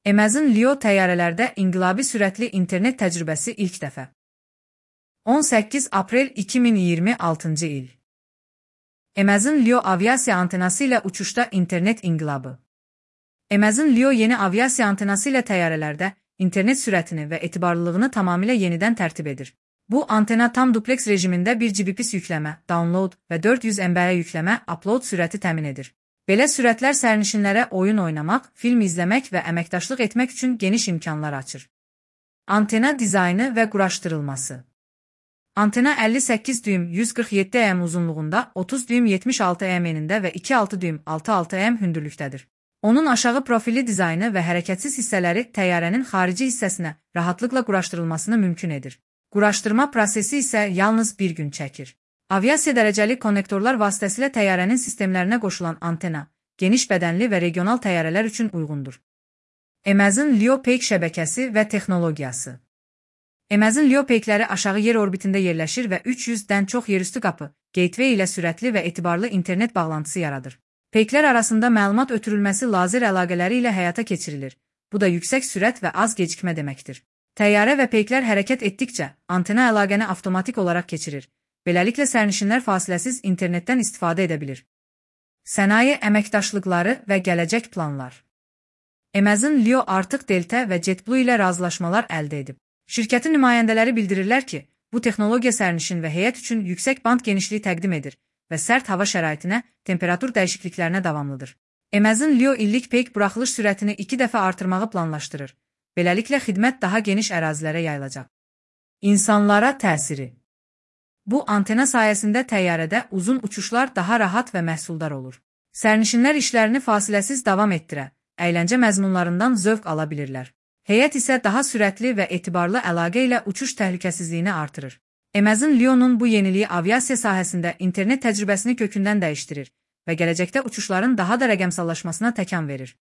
Amazon Leo təyyarələrdə inqilabi sürətli internet təcrübəsi ilk dəfə. 18 aprel 2026-cı il. Amazon Leo aviasiya antenası ilə uçuşda internet inqilabı. Amazon Leo yeni aviasiya antenası ilə təyyarələrdə internet sürətini və etibarlılığını tamamilə yenidən tərtib edir. Bu antena tam dupleks rejimində 1 Gbps yükləmə, download və 400 MB yükləmə, upload sürəti təmin edir. Belə sürətlər sərnişinlərə oyun oynamaq, film izləmək və əməkdaşlıq etmək üçün geniş imkanlar açır. Antena dizaynı və quraşdırılması. Antena 58 düym 147 m uzunluğunda, 30 düym 76 m enində və 2,6 düym 6,6 m hündürlükdədir. Onun aşağı profilli dizaynı və hərəkətsiz hissələri təyyarənin xarici hissəsinə rahatlıqla quraşdırılmasını mümkün edir. Quraşdırma prosesi isə yalnız bir gün çəkir. Aviasiya dərəcəli konnektorlar vasitəsilə təyyarənin sistemlərinə qoşulan antena, geniş bədənli və regional təyyarələr üçün uyğundur. Amazon Leo Peak şəbəkəsi və texnologiyası. Amazon Leo Peakləri aşağı yer orbitində yerləşir və 300-dən çox yerüstü qapı, gateway ilə sürətli və etibarlı internet bağlantısı yaradır. Peaklər arasında məlumat ötürülməsi lazer əlaqələri ilə həyata keçirilir. Bu da yüksək sürət və az gecikmə deməkdir. Təyyarə və peyklər hərəkət etdikcə, antena əlaqəni avtomatik olaraq keçirir. Beləliklə sərnişinlər fasiləsiz internetdən istifadə edə bilir. Sənaye əməkdaşlıqları və gələcək planlar. Amazon Leo artıq Delta və JetBlue ilə razılaşmalar əldə edib. Şirkətin nümayəndələri bildirirlər ki, bu texnologiya sərnişin və heyət üçün yüksək band genişliyi təqdim edir və sərt hava şəraitinə, temperatur dəyişikliklərinə davamlıdır. Amazon Leo illik peyk buraxılış sürətini 2 dəfə artırmağı planlaşdırır. Beləliklə xidmət daha geniş ərazilərə yayılacaq. İnsanlara təsiri. Bu antena sayəsində təyyarədə uzun uçuşlar daha rahat və məhsuldar olur. Sərnişinlər işlərini fasiləsiz davam etdirə, əyləncə məzmunlarından zövq ala bilirlər. Heyət isə daha sürətli və etibarlı əlaqə ilə uçuş təhlükəsizliyini artırır. Amazon Leo'nun bu yeniliyi aviasiya sahəsində internet təcrübəsini kökündən dəyişdirir və gələcəkdə uçuşların daha da rəqəmsallaşmasına təkan verir.